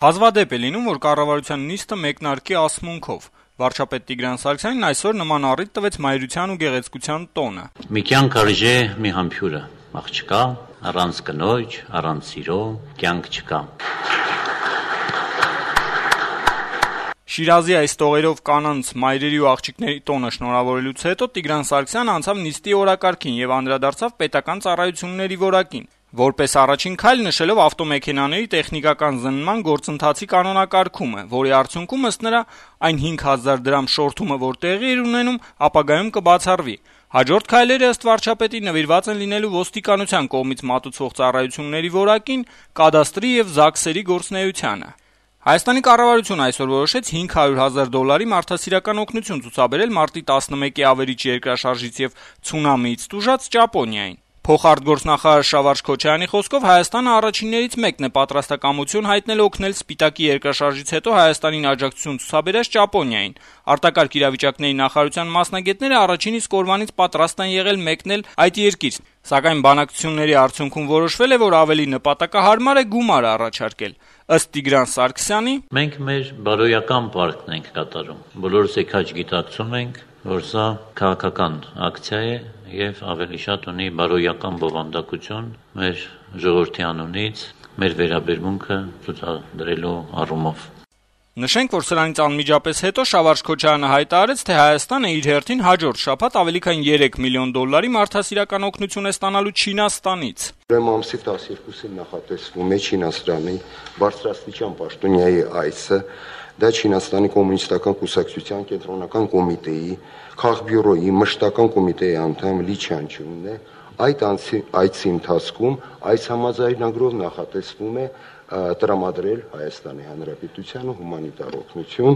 Հազվադեպ է լինում, որ կառավարության նիստը մեկնարկի ասմունքով: Վարչապետ Տիգրան Սարգսյանն այսօր նման առիթ տվեց Մայրության ու գեղեցկության տոնը: «Մի կյանք արժե մի համբույրը, աղջկա, առանց կնոջ, առանց սիրո կյանք չկա»: Շիրազի այս տողերով կանանց, մայրերի ու աղջիկների տոնը շնորհավորելուց հետո Տիգրան Սարգսյանը անցավ նիստի օրակարգին եւ անդրադարձավ պետական ծառայությունների որակին, որպես առաջին քայլ նշելով ավտոմեքենաների տեխնիկական զննման գործընթացի կանոնակարգումը, որի արդյունքում, ըստ նրա, այն 5000 դրամ շորթումը, որ տեղի էր ունենում, ապագայում կբացառվի: Հաջորդ քայլերը, ըստ վարչապետի, նվիրված են լինելու ոստիկանության կողմից մատուցվող ծառայությունների որակին, կադաստրի եւ ԶԱԳՍ-երի գործունեությանը: Հայաստանի կառավարությունը այսօր որոշեց $500,000 մարդասիրական օգնություն ցուցաբերել մարտի 11-ի ավերիչ երկրաշարժից եւ ցունամիից տուժած Ճապոնիային: Փոխարտգործնախարար Շավարշ Քոչարյանի խոսքով Հայաստանը առաջիններից մեկն է պատրաստակամություն հայտնել օգնել Սպիտակի երկրաշարժից հետո Հայաստանին աջակցություն ցուցաբերած Ճապոնիային: Արտակարգ իրավիճակների նախարարության մասնագետները առաջին իսկ օրվանից պատրաստ են եղել մեկնել այդ երկիր, սակայն բանակցությունների արդյունքում որոշվել է, որ ավելի նպատակահարմար է գումար առաջարկել: Ըստ Տիգրան Սարգսյանի, «Մենք մեր բարոյական պարտքն ենք կատարում: Բոլորս քաջ գիտակցում ենք, որ սա քաղաքական ակցիա է եւ ավելի շատ ունի բարոյական բովանդակություն մեր ժողովրդի անունից մեր վերաբերմունքը ցուցադրելու առումով»: Նշենք, որ սրանից անմիջապես հետո Շավարշ Քոչարյանը հայտարարեց, թե Հայաստանը իր հերթին հաջորդ շաբաթ ավելի քան $3 միլիոն մարդասիրական օգնություն է ստանալու Չինաստանից: «Ուրեմն ամսի 12-ին նախատեսվում է Չինաստանի բարձրաստիճան պաշտոնյայի այցը: Դա Չինաստանի կոմունիստական կուսակցության կենտրոնական կոմիտեի, Քաղբյուրոյի մշտական կոմիտեի անդամ Լի Չանչյունն է: Այդ այցի ընթացքում այս համաձայնագրով նախատեսվում է տրամադրել Հայաստանի Հանրապետությանը հումանիտար օգնություն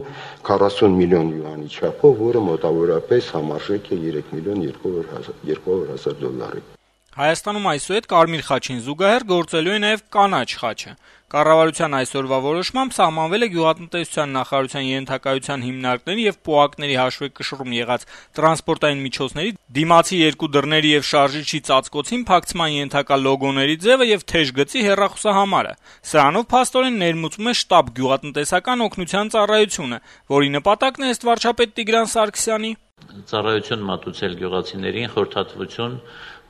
40 միլիոն յուանի չափով, որը մոտավորապես համարժեք է $2,200,000»: Հայաստանում այսուհետ Կարմիր խաչին զուգահեռ գործելու է նաեւ կանաչ խաչը: Կառավարության այսօրվա որոշմամբ սահմանվել է գյուղատնտեսության նախարարության ենթակայության հիմնարկների եւ պոակների հաշվեկշռում եղած տրանսպորտային միջոցների դիմացի երկու դռների եւ շարժիչի ծածկոցին փակցման ենթակա լոգոների ձեւը եւ թեժ գծի հեռախոսահամարը: Սրանով փաստորեն ներմուծվում է շտապ գյուղատնտեսական օգնության ծառայությունը, որի նպատակն է, ըստ վարչապետ Տիգրան Սարգսյանի, ծառայություն մատուցել գյուղացիներին, խորհրդատվություն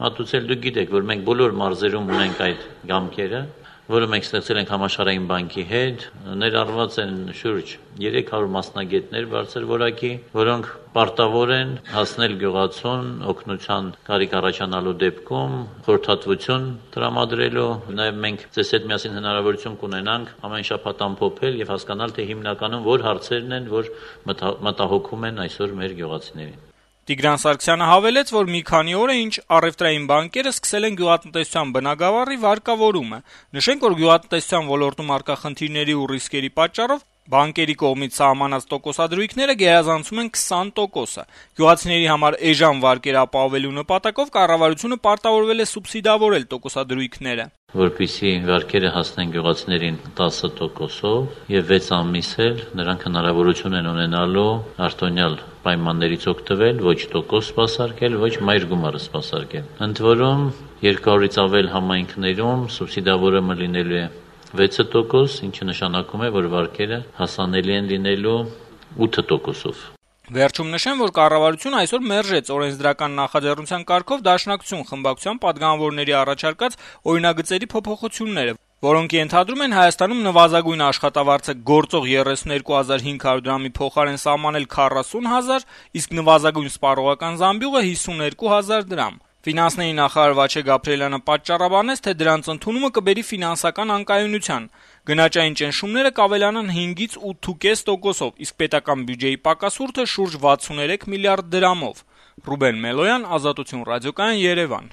մատուցել: Դուք գիտեք, որ մենք բոլոր մարզերում ունենք այդ գամքերը, որը մենք ստեղծել ենք Համաշխարհային բանկի հետ: Ներառված են շուրջ 300 մասնագետներ բարձր որակի, որոնք պարտավոր են հասնել գյուղացուն օգնության կարիք առաջանալու դեպքում խորհրդատվություն տրամադրելու: Նաեւ մենք ձեզ հետ միասին հնարավորություն կունենանք ամեն շաբաթ ամփոփել եւ հասկանալ, թե հիմնականում որ հարցերն են, որ մտահոգում են այսօր մեր գյուղացիներին: Տիգրան Սարգսյանը հավելեց, որ մի քանի օր է, ինչ առեւտրային բանկերը սկսել են գյուղատնտեսության բնագավառի վարկավորումը: Նշենք, որ գյուղատնտեսության ոլորտում առկա խնդիրների ու ռիսկերի պատճառով բանկերի կողմից սահմանած տոկոսադրույքները գերազանցում են 20%: Գյուղացիների համար էժան վարկեր ապահովելու նպատակով կառավարությունը պարտավորվել է սուբսիդավորել տոկոսադրույքները: Որպեսզի վարկերը հասնեն գյուղացիներին 10%-ով եւ 6 ամիս էլ նրանք հնարավորություն են ունենալու արտոնյալ պայմաններից օգտվել, ոչ տոկոս սպասարկել, ոչ մայր գումարը սպասարկել: Ընդ որում 200-ից ավել համայնքներում սուբսիդավորումը լինելու է 6%, ինչը նշանակում է, որ վարկերը հասանելի են լինելու 8%-ով: Վերջում նշեմ, որ կառավարությունը այսօր մերժեց օրենսդրական նախաձեռնության կարգով Դաշնակցություն խմբակցության պատգամավորների առաջարկած օրինագծերի փոփոխությունները, որոնք ենթադրում են Հայաստանում նվազագույն աշխատավարձը գործող 32,500 դրամի փոխարեն սահմանել 40,000, իսկ նվազագույն սպառողական զամբյուղը 52,000 դրամ: Ֆինանսների նախարար Վաչե Գաբրիելյանը պատճառաբանեց, թե դրանց ընդունումը կբերի ֆինանսական անկայունության: Գնաճային ճնշումները կավելանան 5-ից 8,5%-ով, իսկ պետական բյուջեի պակասուրդը շուրջ 63 միլիարդ դրամով: Ռուբեն Մելոյան, Ազատություն ռադիոկայան, Երևան: